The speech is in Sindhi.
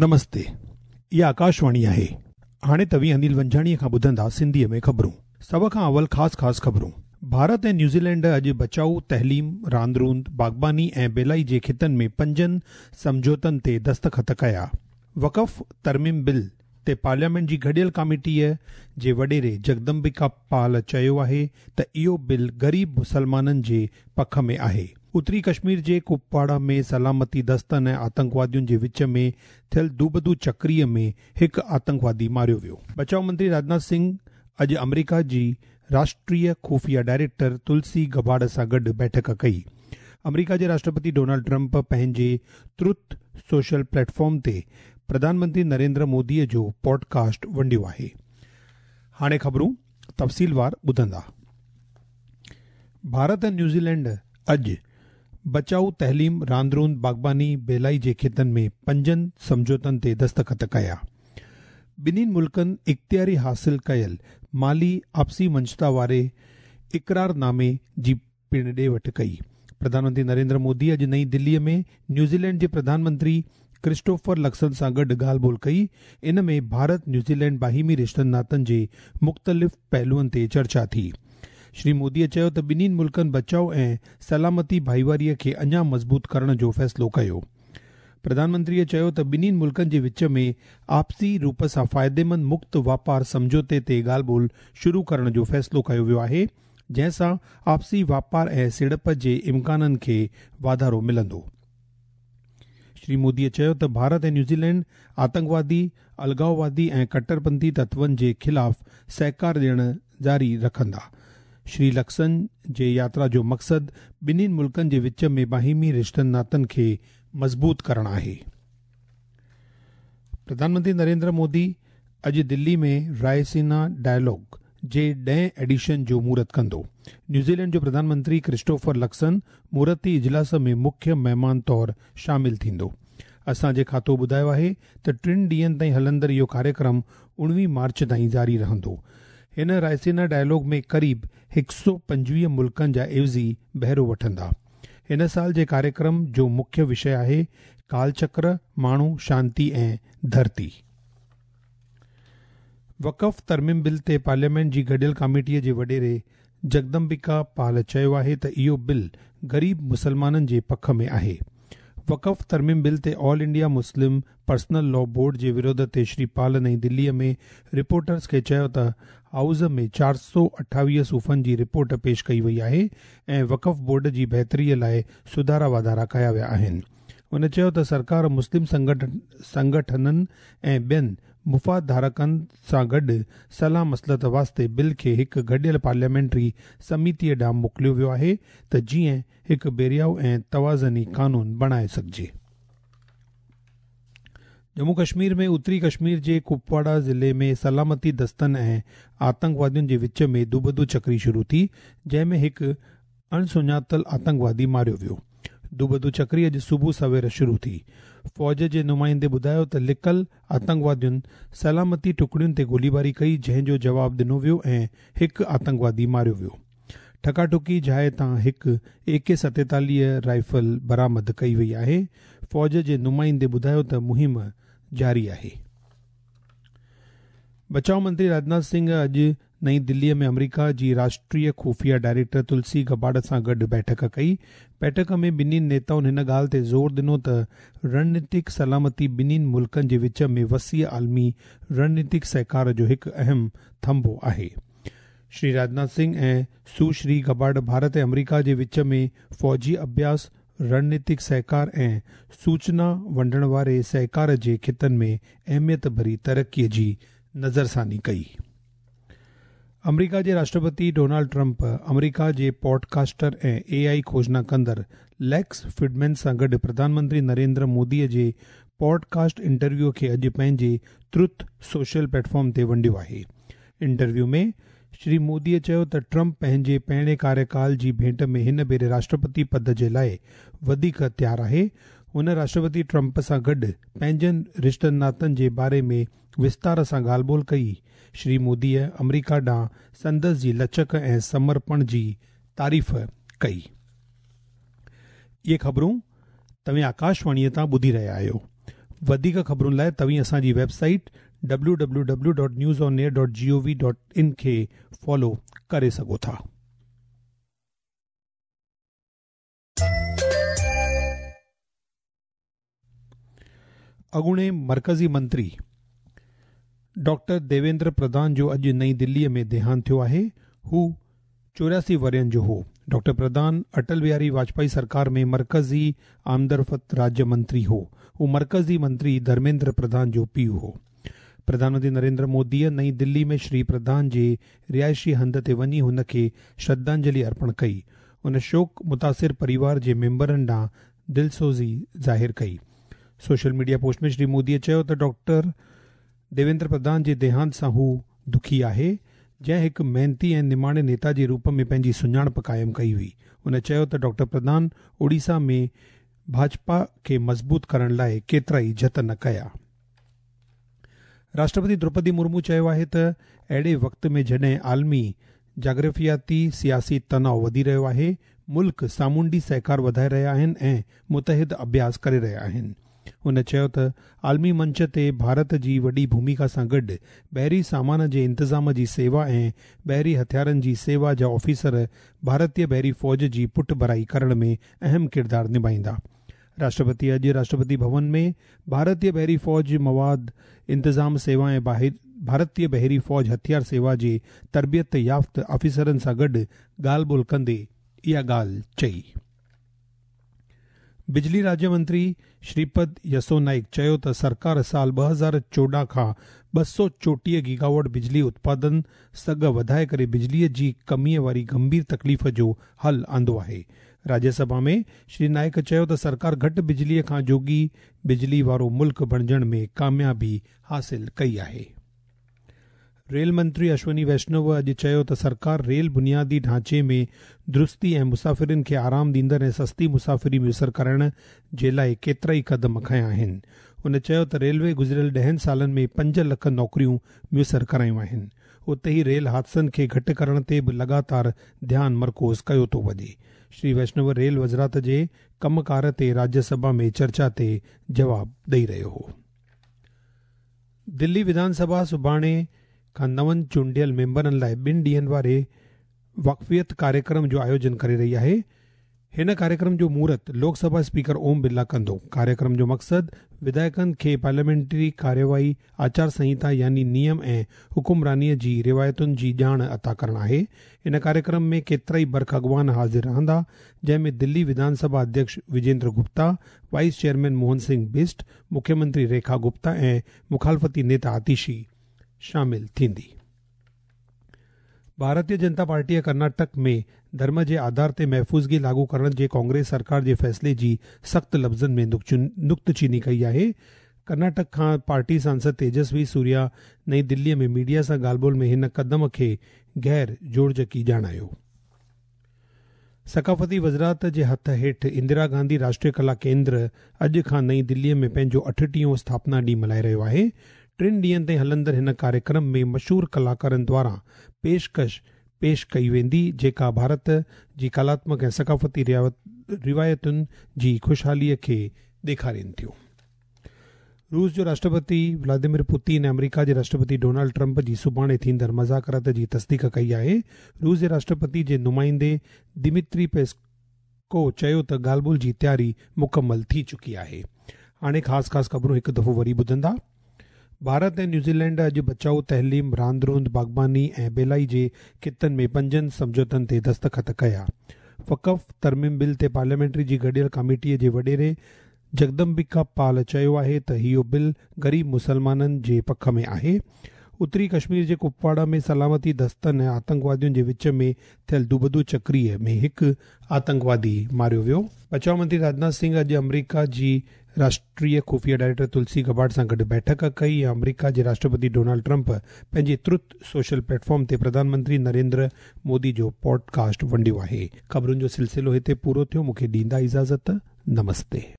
نمستي اها آڪاشواڻي آهي. هاڻي توهين انيل ونجهاڻيء کان ٻڌندا سنڌيء ۾ خبرون. سڀ کان اول خاص خاص خبرون. ڀارت ۽ نيوزيلينڊ اڄ بچائو، تعليم، راند روند، باغباني ۽ ٻيلائي جي خطن ۾ پنجن سمجهوتن تي دستخط ڪيا. وقف ترميم بل تي پارليامينٽ جي گڏيل ڪاميٽيء جي وڏيري جگدمبڪا پال چيو آهي ته اهو بل غريب مسلمانن جي پک ۾ آهي. اتري ڪشمير جي ڪپواڙا ۾ سلامتي دستن ۽ آتنڪوادين جي وچ ۾ ٿيل دوبدو چڪريء ۾ هڪ آتنڪوادي ماريو ويو. بچاء منتري راجناٿ سنگهه اڄ آمريڪا جي راشٽريه خفيه ڊائريڪٽر تلسي گبارڊ سان گڏ بيٺڪ ڪئي. آمريڪا جي راشٽرپتي ڊونلڊ ٽرمپ پنهنجي تروٿ سوشل پليٽ فارم تي پرڌان منتري نريندر موديء جو پوڊڪاسٽ ونڊيو آهي. هاڻي خبرون تفصيلوار ٻڌندا. ڀارت ۽ نيوزيلينڊ اڄ بچائو، تعليم، راند روند، باغباني، ٻيلائي جي خطن ۾ پنجن سمجهوتن تي دستخط ڪيا. ٻنهي ملڪن اختياري حاصل ڪيل مالي آپسي مڃتا واري اقرارنامي جي پڻ ڏي وٺ ڪئي. پرڌان منتري نريندر مودي اڄ نئين دليء ۾ نيوزيلينڊ جي پرڌان منتري ڪرسٽوفر لڪسن سان گڏ ڳالهه ٻولهه ڪئي. ان ۾ ڀارت نيوزيلينڊ باهمي رشتن ناتن جي مختلف پهلوئن تي چرچا ٿي. شري موديء چيو ته ٻنهي ملڪن بچاء ۽ سلامتي ڀائيواريء کي اڃا مضبوط ڪرڻ جو فيصلو ڪيو. پرڌان منتريء چيو ته ٻنهي ملڪن جي وچ ۾ آپسي روپ سان فائديمند مڪت واپار سمجهوتي تي ڳالهه ٻولهه شروع ڪرڻ جو فيصلو ڪيو ويو آهي. جنهن سان آپسي واپار ۽ سيڙپ جي امڪانن کي واڌارو ملندو. شري موديء چيو ته ڀارت ۽ نيوزيلينڊ آتنڪوادي، الغاووادي ۽ ڪٽرپنٿي تتون جي خلاف سهڪار ڏيڻ جاري رکندا. شري لڪسن جي ياترا جو مقصد ٻنهي ملڪن جي وچ ۾ باهمي رشتن ناتن کي مضبوط ڪرڻ آهي. پرڌان منتري نريندر مودي اڄ دلي ۾ رائسينا ڊائلاگ جي ڏهين ايڊيشن جو مهورت ڪندو. نيوزيلينڊ جو پرڌان منتري ڪرسٽوفر لڪسن مهورتي اجلاس ۾ مکيه مهمان طور شامل ٿيندو. اسان جي کاتو ٻڌايو آهي ته ٽن ڏينهن تائين هلندڙ اهو ڪاريڪرم 19 مارچ تائين جاري رهندو. هن رائسينا ڊائلاگ ۾ قريب 125 ملڪن جا عيوضي بهرو وٺندا. هن سال جي ڪاريڪرم جو مکيه وشيه آهي ڪالچڪر، ماڻهو، شانتي ۽ ڌرتي. وقف ترميم بل تي پارليامينٽ جي گڏيل ڪاميٽيء جي وڏيري جگدمبڪا پال چيو آهي ته اهو بل غريب مسلمانن جي پک ۾ آهي. وقف ترميم بل تي all India Muslim personal law board جي وروڌ تي شري پال نئين دليء ۾ رپورٽرز کي چيو ته هائوس ۾ 428 صفحن جي رپورٽ پيش ڪئي وئي آهي ۽ وقف بورڊ جي بهتريء لاء سڌارا واڌارا ڪيا ويا آهن. هن چيو ته سرڪار مسلم سنگٺنن ۽ ٻين مفاد ڌارڪن سان گڏ صلاح مصلحت واسطي بل کي هڪ گڏيل پارليامينٽري سميتيء ڏانهن موڪليو ويو آهي ته جيئن هڪ ڀيرائو ۽ توازني قانون بڻائي سگهجي. ڄمون ڪشمير ۾ اتري ڪشمير جي ڪپواڙا ضلعي ۾ سلامتي دستن ۽ آتنڪوادين جي وچ ۾ دوبدو چڪري شروع ٿي، جنهن ۾ هڪ اڻسڃاتل آتنڪوادي ماريو ويو. دوبدو چڪري اڄ صبح سوير شروع ٿي. فوج جي نمائندي ٻڌايو ته لڪل آتنڪوادين سلامتي ٽڪڙين تي گوليباري ڪئي جنهن جو جواب ڏنو ويو ۽ هڪ آتنڪوادي ماريو ويو. ٺڪاٺڪي جاء تان هڪ اي ڪي 47 رائفل برآمد ڪئي وئي آهي. فوج جي نمائندي ٻڌايو ته مهم جاري آهي. بچاء منتري راجناٿ سنگهه اڄ نئين دليء ۾ آمريڪا جي راشٽريه خفيه ڊائريڪٽر تلسي گبارڊ سان گڏ بيٺڪ ڪئي. بيٺڪ ۾ ٻنهي نيتائن هن ڳالهه تي زور ڏنو ته رڻنيتڪ سلامتي ٻنهي ملڪن جي وچ ۾ وسيع عالمي رڻنيتڪ سهڪار جو هڪ اهم ٿنڀو آهي. شري راجناٿ سنگهه ۽ سوشري گبارڊ ڀارت ۽ آمريڪا جي وچ ۾ فوجي اڀياس، رڻنيتڪ سهڪار ۽ سوچنا ونڊڻ واري سهڪار جي خطن ۾ اهميت ڀري ترقي جي نظرثاني ڪئي. آمريڪا جي راشٽرپتي ڊونالڊ ٽرمپ آمريڪا جي پوڊ ڪاسٽر ۽ اي آء کوجنا ڪندڙ ليڪس فريڊمين سان گڏ پرڌان منتري نريندر موديء جي پوڊ ڪاسٽ انٽرويو کي اڄ پنهنجي تروٿ سوشل پليٽ فارم تي ونڊيو آهي. انٽرويو ۾ شري موديء چيو ته ٽرمپ پنهنجي پهرين ڪاريڪال جي ڀيٽ ۾ هن ڀيري راشٽرپتي پد جي لاء وڌيڪ تيار آهي. هن راشٽرپتي ٽرمپ سان گڏ پنهنجن رشتن ناتن جي باري ۾ وستار سان ڳالهه ٻولهه ڪئي. شري موديء آمريڪا ڏانهن سندس جي لچڪ ۽ سمرپڻ جي تعريف ڪئي. اهي خبرون توهين آڪاشواڻيء تان ٻڌي رهيا آهيو. وڌيڪ خبرن لاء توهين اسان جي web site www.newsonair.gov.in کي فالو ڪري سگهو ٿا. اڳوڻي مرڪزي منتري ڊاڪٽر ديويندر پرڌان جو اڄ نئين دليء ۾ ديهانت ٿيو آهي. هو 84 ورهين جو هو. ڊاڪٽر پرڌان اٽل بهاري واجپائي سرڪار ۾ مرڪزي آمدرفت راجيه منتري هو. هو مرڪزي منتري ڌرميندر پرڌان جو پيء هو. پرڌان منتري نريندر موديء نئين دلي ۾ شري پرڌان جي رهائشي هنڌ تي وڃي هن کي شرڌانجلي ارپڻ ڪئي. هن شوڪ متاثر پريوار جي ميمبرن ڏانهن دلسوزي ظاهر ڪئي. سوشل ميڊيا پوسٽ ۾ شري موديء چيو ته ڊاڪٽر ديويندر پرڌان جي ديهانت سان هو دکي آهي، جنهن هڪ محنتي ۽ نماڻي نيتا جي روپ ۾ پنهنجي سڃاڻپ قائم ڪئي هئي. هن چيو ته ڊاڪٽر پرڌان اوڙيسا ۾ ڀاجپا کي مضبوط ڪرڻ لاء ڪيترائي جتن ڪيا. راشٽرپتي دروپدي مرمو چيو آهي ته اهڙي وقت ۾ جڏهن عالمي جاگرافياتي سياسي تناء وڌي رهيو آهي، ملڪ سامونڊي سهڪار وڌائي رهيا آهن ۽ متحد اڀياس ڪري رهيا آهن. هن چيو ته عالمي منچ تي ڀارت جي وڏي ڀوميڪا سان گڏ بحري سامان جي انتظام جي سيوا ۽ بحري هٿيارن جي سيوا جا آفيسر ڀارتي بحري فوج جي پٺڀرائي ڪرڻ ۾ اهم ڪردار نڀائيندا. راشٽرپتي اڄ راشٽرپتي ڀون ۾ ڀارتي بحري فوج مواد انتظام سيوا ۽ ڀارتي بحري فوج هٿيار سيوا جي تربيت يافته آفيسرن سان گڏ ڳالهه ٻولهه ڪندي اها ڳالهه چئي. بجلي راجيه منتري شريپد يسو نائيڪ چيو ته سرڪار سال 2014 کان 234 گيگاواٽ بجلي اتپادن سگهه وڌائي ڪري بجليء جي ڪميء واري گنڀير تڪليف جو حل آندو آهي. راجيه سڀا ۾ شري نائيڪ چيو ته سرڪار گهٽ بجليء کان جوڳي بجلي وارو ملڪ بڻجڻ ۾ ڪاميابي حاصل ڪئي آهي. ريل منتري اشوني ويشنو اڄ چيو ته سرڪار ريل بنيادي ڍانچي ۾ درستي ۽ مسافرن کي آرام ڏيندڙ ۽ سستي مسافري ميسر ڪرائڻ جي لاء ڪيترائي قدم کنيا آهن. هن چيو ته ريلوي گذريل 10 سالن ۾ 5 لک نوڪريون ميسر ڪرايون آهن. اتي ئي ريل حادثن کي گهٽ ڪرڻ تي به لڳاتار ڌيان مرڪوز ڪيو ٿو وڃي. شري ويشنو ريل وزارت جي ڪم ڪار تي راجيه سڀا ۾ چرچا تي جواب ڏئي رهيو هو. دلي وڌان سڀا سڀاڻي کان نون چونڊيل ميمبرن لاء 2 ڏينهن واري واقفيت ڪاريڪرم جو آيوجن ڪري رهي آهي. هن ڪاريڪرم جو مهورت لوڪ سڀا اسپيڪر اوم برلا ڪندو. ڪاريڪرم جو مقصد وڌايڪن کي پارليامينٽري ڪارروائي، آچار سنهتا يعني نيم ۽ حڪمرانيء جي روايتن جي ڄاڻ عطا ڪرڻ آهي. ان ڪاريڪرم ۾ ڪيترائي برک اڳواڻ حاضر رهندا، جنهن ۾ دلي وڌان سڀا اڌيڪش وجيندر گپتا، وائيس چيئرمين موهن سنگهه بسٽ، مکيه منتري ريکا گپتا ۽ مخالفتي نيتا آتيشي شامل ٿيندي. ڀارتيه جنتا پارٽيء ڪرناٽڪ ۾ ڌرم جي آڌار تي محفوظگي لاڳو ڪرڻ جي ڪانگريس سرڪار جي فيصلي جي سخت لفظن ۾ نڪتچيني ڪئي آهي. ڪرناٽڪ کان پارٽي سانسد تيجسوي سوريا نئين دليء ۾ ميڊيا سان ڳالهه ٻولهه ۾ هن قدم کي غير جوڙجڪي ڄاڻايو. ثقافتي وزارت جي هٿ هيٺ اندرا گانڌي راشٽريه ڪلا ڪيندر اڄ کان نئين دليء ۾ پنهنجو 38 اسٿاپنا ڏينهن ملهائي رهيو آهي. 3 ڏينهن تائين هلندڙ هن ڪاريڪرم ۾ مشهور ڪلاڪارن دواران پيشڪش پيش ڪئي ويندي، جيڪا ڀارت جي ڪلاتمڪ ۽ ثقافتي روايتن جي خوشحاليء کي ڏيکارين ٿيون. روس جو راشٽرپتي ولاديمير پوتين ۽ آمريڪا جي راشٽرپتي ڊونلڊ ٽرمپ جي سڀاڻي ٿيندڙ مذاڪرات جي تصديق ڪئي آهي. روس جي راشٽرپتي جي نمائندي دمتري پيسڪو چيو ته ڳالهه ٻولهه جي تياري مڪمل ٿي چڪي آهي. هاڻي خاص خاص خبرون هڪ دفعو وري ٻڌندا. ڀارت ۽ نيوزيلينڊ اڄ بچاء، تعليم، راند روند، باغباني ۽ ٻيلائي جي خطن ۾ 5 سمجهوتن تي دستخط ڪيا. وقف ترميم بل تي پارليامينٽري جي گڏيل ڪاميٽي جي وڏيري جگدمبيڪا پال چيو آهي ته اهو بل غريب مسلمانن جي پک ۾ آهي. اتري ڪشمير جي ڪپواڙا ۾ سلامتي دستن ۽ آتنڪوادين جي وچ ۾ ٿيل دوبدو چڪريء ۾ هڪ آتنڪوادي ماريو ويو. بچاء منتري راجناٿ سنگهه اڄ آمريڪا جي راشٽريه خفيه ڊائريڪٽر تلسي گبارڊ سان گڏ بيٺڪ ڪئي ۽ آمريڪا جي راشٽرپتي ڊونلڊ ٽرمپ پنهنجي ترت سوشل پليٽ فارم تي پرڌان منتري نريندر مودي جو پوڊ ڪاسٽ ونڊيو آهي. خبرن جو سلسلو هتي پورو ٿيو، مون کي ڏيندا اجازت، نمستي.